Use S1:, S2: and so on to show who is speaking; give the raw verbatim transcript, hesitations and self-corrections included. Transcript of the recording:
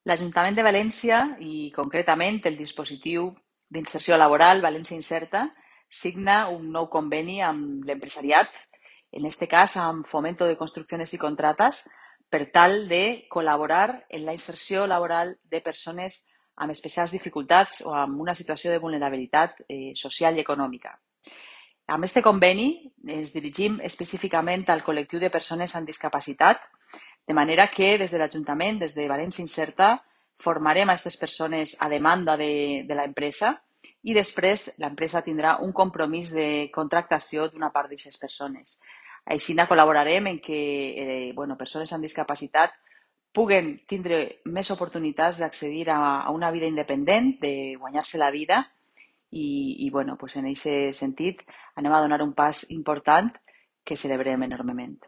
S1: L'Ajuntament de València i concretament el dispositiu d'inserció laboral València Inserta signa un nou conveni amb l'empresariat, en aquest cas amb Fomento de Construcciones y Contratas, per tal de col·laborar en la inserció laboral de persones amb especials dificultats o amb una situació de vulnerabilitat eh, social i econòmica. Amb aquest conveni ens dirigim específicament al col·lectiu de persones amb discapacitat, de manera que des de l'Ajuntament, des de València Inserta, formarem a aquestes persones a demanda de, de l'empresa i després l'empresa tindrà un compromís de contractació d'una part d'aquestes persones. Així col·laborarem en que eh, bueno, persones amb discapacitat puguen tindre més oportunitats d'accedir a, a una vida independent, de guanyar-se la vida i, i bueno, pues en aquest sentit anem a donar un pas important que celebrem enormement.